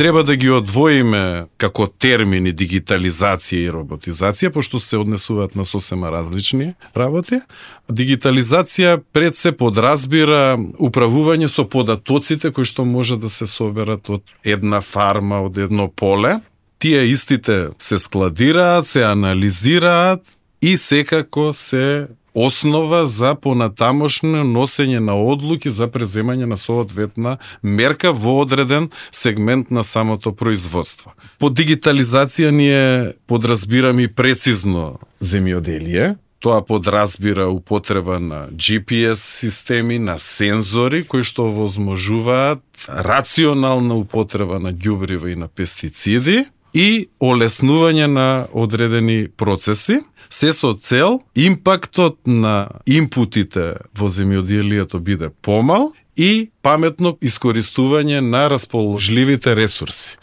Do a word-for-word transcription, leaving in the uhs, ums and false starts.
треба да ги одвоиме како термини дигитализација и роботизација, пошто се однесуваат на сосема различни работи. Дигитализација пред се подразбира управување со податоците кои што може да се соберат од една фарма, од едно поле. Тие истите се складираат, се анализираат и секако се основа за понатамошно носење на одлуки за преземање на соодветна мерка во одреден сегмент на самото производство. Под дигитализација ние подразбираме и прецизно земјоделие. Тоа подразбира употреба на Джи Пи Ес системи, на сензори кои што овозможуваат рационална употреба на ѓубрива и на пестициди и олеснување на одредени процеси, се со цел импактот на импутите во земјоделието биде помал и паметно искористување на расположливите ресурси.